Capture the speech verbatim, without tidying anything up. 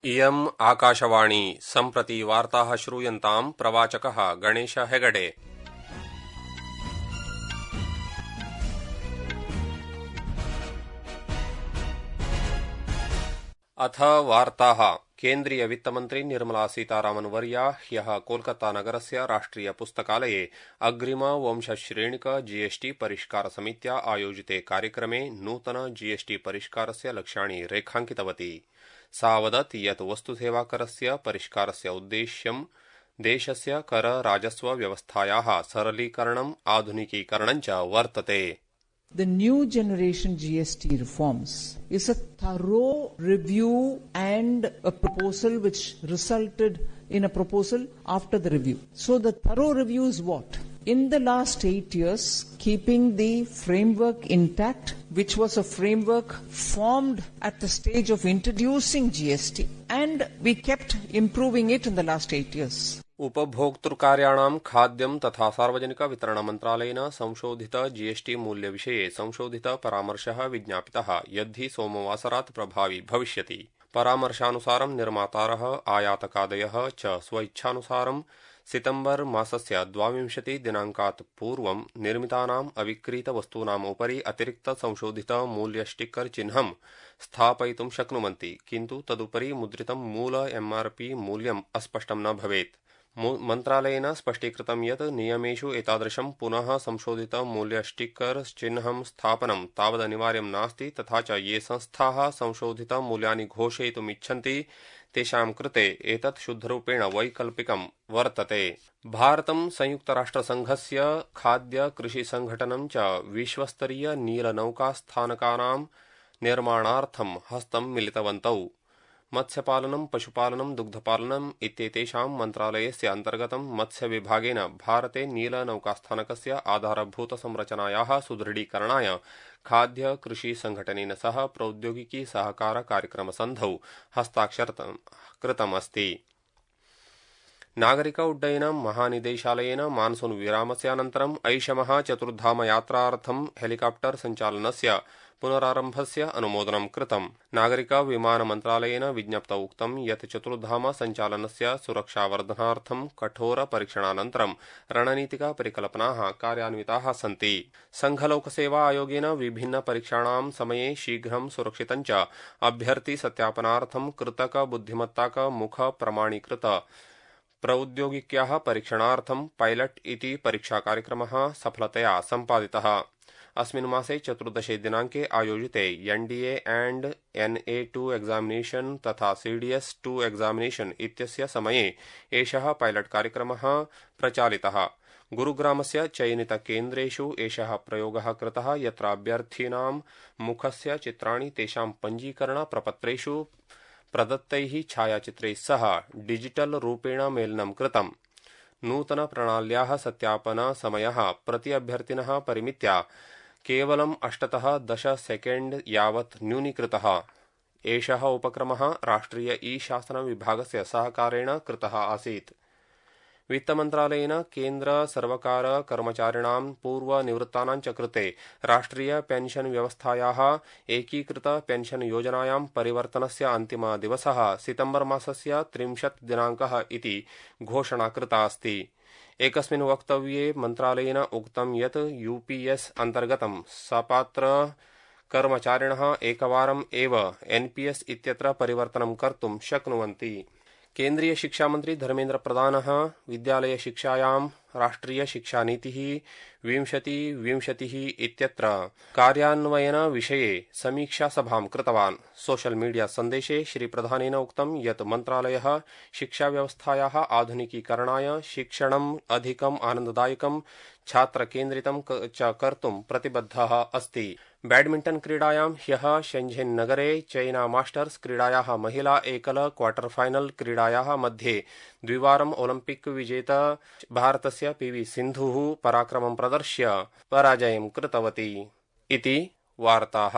इयम् आकाशवाणी सम्प्रति वार्ताः श्रूयन्ताम् प्रवाचकः गणेश हेगडे। अथ वार्ताः। केन्द्रीय वित्तमन्त्री निर्मला सीतारामन् वर्या ह्यः कोलकाता नगरस्य राष्ट्रिय पुस्तकालये अग्रिम वंशश्रेणिक जीएसटी परिष्कार समित्या आयोजिते कार्यक्रमे नूतन जीएसटी परिष्कारस्य लक्ष्याणि रेखाङ्कितवती। सा वदत् यत् वस्तुसेवाकरस्य परिष्कारस्य उद्देश्यं देशस्य कर राजस्व व्यवस्थायाः सरलीकरणम् आधुनिकीकरणं च वर्तते। The new generation G S T reforms is a thorough review and a proposal which resulted in a proposal after the review. So the thorough review is what? In the last eight years, keeping the framework intact, which was a framework formed at the stage of introducing G S T, and we kept improving it in the last eight years. उपभोक्तृकार्याणां खाद्यं तथा सार्वजनिक वितरण मन्त्रालयेन संशोधित GST मूल्यविषये संशोधित परामर्शः विज्ञापितः यद्धि सोमवासरात् प्रभावी भविष्यति। परामर्शानुसारं निर्मातारः आयातकादयः च स्वइच्छानुसारं सितम्बर मासस्य द्वाविंशति दिनाङ्कात् पूर्वं निर्मितानाम् अविक्रीत वस्तूनाम् उपरि अतिरिक्त संशोधित मूल्य स्टिक्कर चिह्नं स्थापयितुं शक्नुवन्ति, किन्तु तदुपरि मुद्रितं मूल एमआरपी मूल्यम् अस्पष्टं न भवेत्। मन्त्रालयेन स्पष्टीकृतं यत् नियमेषु एतादृशं पुनः संशोधित मूल्य स्टिक्कर चिह्नं स्थापनं तावदनिवार्यं नास्ति, तथा च ये संस्थाः संशोधित मूल्यानि घोषयितुम् इच्छन्ति तेषां कृते एतत् शुद्धरूपेण वैकल्पिकं वर्तते। भारतं संयुक्तराष्ट्रसङ्घस्य खाद्य कृषि संघटनं च विश्वस्तरीय नीलनौकास्थानकानां निर्माणार्थं हस्तं मिलितवन्तौ। मत्स्यपालनं, पशुपालनं, दुग्धपालनम् इत्येतेषां मन्त्रालयस्य अन्तर्गतं मत्स्यविभागेन भारते नीलनौकास्थानकस्य आधारभूतसंरचनायाः सुदृढीकरणाय खाद्य कृषि संघटनेन सह प्रौद्योगिकी सहकार कार्यक्रमसन्धौ हस्ताक्षरं कृतमस्ति। नागरिक उड्डयन महानिदेशालयेन मानसून विरामस्यानन्तरम् ऐषमः चतुर्धाम यात्रार्थं हेलिकाप्टर सञ्चालनस्य पुनरारम्भस्य अनुमोदनं कृतम्। नागरिक विमान मन्त्रालयेन विज्ञप्तौ उक्तं यत् चतुर्धाम सञ्चालनस्य सुरक्षावर्धनार्थं कठोर परीक्षणानन्तरं रणनीतिक परिकल्पनाः कार्यान्विताः सन्ति। संघलोकसेवा आयोगेन विभिन्न परीक्षाणां समये शीघ्रं सुरक्षितं च अभ्यर्थि सत्यापनार्थं कृतक बुद्धिमत्ताक मुख प्रमाणीकृत प्रौद्योगिक्याः परीक्षणार्थं पायलट इति परीक्षाकार्यक्रमः सफलतया सम्पादितः। अस्मिन् मासे चतुर्दशे दिनाङ्के आयोजिते NDA and NA two examination तथा सीडीएस टू एग्जामिनेशन इत्यस्य समये एषः पायलट कार्यक्रमः प्रचालितः। गुरुग्रामस्य चयनित केन्द्रेषु एषः प्रयोगः कृतः, यत्र अभ्यर्थिनां मुखस्य चित्राणि तेषां पञ्जीकरण प्रपत्रेषु प्रदत्तैः छायाचित्रैः सह डिजिटल रूपेण मेलनं कृतम्। नूतन प्रणाल्याः सत्यापन समयः प्रति अभ्यर्थिनः परिमित्या केवलम् अष्टतः दश सेकेण्ड यावत् न्यूनीकृतः। एषः उपक्रमः राष्ट्रिय ई शासन विभागस्य सहकारेण कृतः आसीत्। वित्तमन्त्रालयेन केन्द्र सर्वकार कर्मचारिणां पूर्वनिवृत्तानां च कृते राष्ट्रिय पेंशन व्यवस्थायाः एकीकृत पेंशन योजनायां परिवर्तनस्य अन्तिमः दिवसः सितम्बर मासस्य त्रिंशत् दिनाङ्कः इति घोषणा कृता अस्ति। एकस्मिन् वक्तव्ये मन्त्रालयेन उक्तं यत् यूपीएस अन्तर्गतं सपात्र कर्मचारिणः एकवारम् एव एनपीएस इत्यत्र परिवर्तनं कर्तुं शक्नुवन्ति। केन्द्रीय शिक्षामन्त्री धर्मेन्द्र प्रधानः विद्यालय शिक्षायां राष्ट्रिय शिक्षा नीतिः विंशति विंशतिः इत्यत्र कार्यान्वयन विषये समीक्षा सभां कृतवान्। सोशल मीडिया सन्देशे श्रीप्रधानेन उक्तं यत् मन्त्रालयः शिक्षाव्यवस्थायाः आधुनिकीकरणाय शिक्षणम् अधिकम् आनन्ददायकं छात्रकेन्द्रितं च कर्तुं प्रतिबद्धः अस्ति। बैडमिण्टन क्रीडायां ह्यः शेन्झेन नगरे चैना मास्टर्स क्रीडायाः महिला एकल क्वार्टर फाइनल क्रीडायाः मध्ये द्विवारम् ओलम्पिक विजेता भारतस्य पीवी सिन्धुः पराक्रमं प्रदर्श्य पराजयं कृतवती। इति वार्ताः।